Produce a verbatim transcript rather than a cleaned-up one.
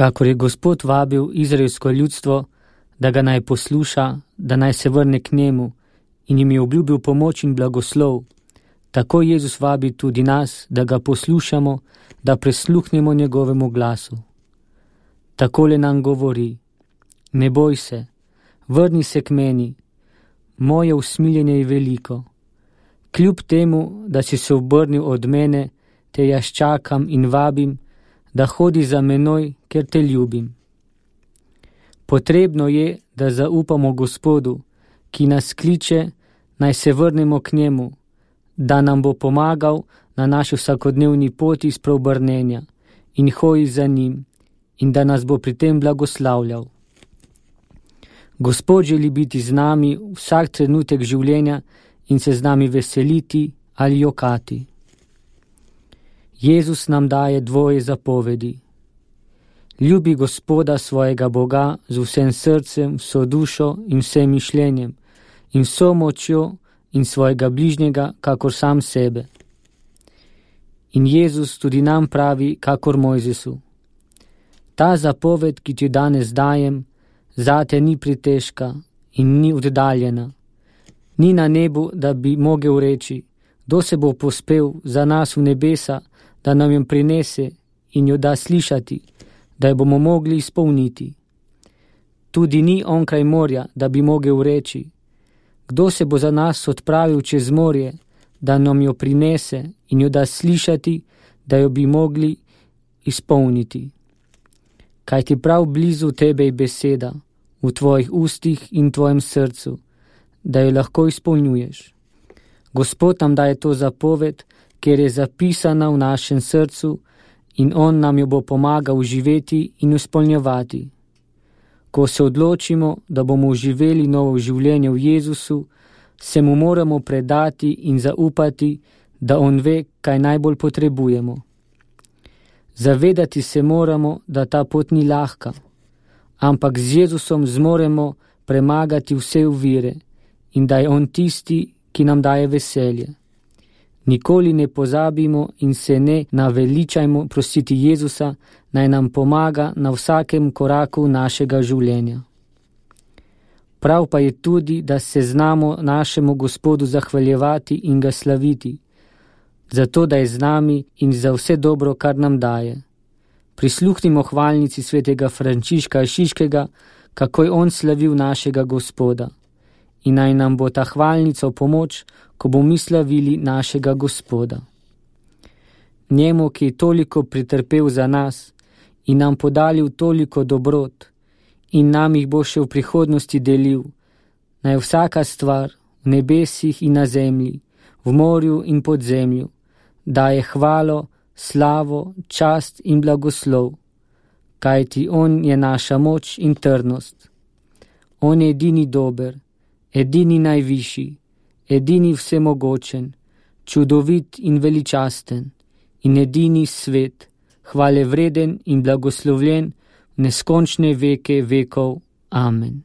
Kakor je Gospod vabil izraelsko ljudstvo, da ga naj posluša, da naj se vrne k njemu in jim je obljubil pomoč in blagoslov, tako Jezus vabi tudi nas, da ga poslušamo, da prisluhnemo njegovemu glasu. Takole nam govori: ne boj se, vrni se k meni, moje usmiljenje je veliko. Kljub temu, da si se obrnil od mene, te jaz čakam in vabim, da hodi za menoj, ker te ljubim. Potrebno je, da zaupamo Gospodu, ki nas kliče, naj se vrnemo k njemu, da nam bo pomagal na naši vsakodnevni poti spreobrnenja in hoji za njim in da nas bo pri tem blagoslavljal. Gospod želi biti z nami vsak trenutek življenja in se z nami veseliti ali jokati. Jezus nam daje dvoje zapovedi. Ljubi Gospoda svojega Boga z vsem srcem, vso dušo in vsem mišljenjem in vso močjo in svojega bližnjega, kakor sam sebe. In Jezus tudi nam pravi, kakor Mojzesu: ta zapoved, ki ti danes dajem, zate ni pretežka in ni oddaljena. Ni na nebu, da bi mogel reči: kdo se bo pospel za nas v nebesa, da nam jo prinese in jo da slišati, da jo bomo mogli izpolniti. Tudi ni onkraj morja, da bi mogel reči: kdo se bo za nas odpravil čez morje, da nam jo prinese in jo da slišati, da jo bi mogli izpolniti. Kaj ti prav blizu tebe je beseda, v tvojih ustih in tvojem srcu, da jo lahko izpolnjuješ. Gospod nam daje to zapoved, ker je zapisana v našem srcu in on nam jo bo pomagal živeti in izpolnjevati. Ko se odločimo, da bomo živeli novo življenje v Jezusu, se mu moramo predati in zaupati, da on ve, kaj najbolj potrebujemo. Zavedati se moramo, da ta pot ni lahka, ampak z Jezusom zmoremo premagati vse ovire in da je on tisti, ki nam daje veselje. Nikoli ne pozabimo in se ne naveličajmo prositi Jezusa, naj nam pomaga na vsakem koraku našega življenja. Prav pa je tudi, da se znamo našemu Gospodu zahvaljevati in ga slaviti, zato da je z nami in za vse dobro, kar nam daje. Prisluhnimo hvalnici svetega Frančiška Asiškega, kako je on slavil našega Gospoda. In naj nam bo ta hvalnica v pomoč, ko bomo mi slavili našega Gospoda. Njemu, ki je toliko pretrpel za nas in nam podalil toliko dobrot in nam jih bo še v prihodnosti delil, naj vsaka stvar v nebesih in na zemlji, v morju in pod zemljo, daje hvalo, slavo, čast in blagoslov, kajti on je naša moč in trdnost. On je edini dober, edini najvišji, edini vsemogočen, čudovit in veličasten in edini svet, hvale vreden in blagoslovljen v neskončne veke vekov. Amen.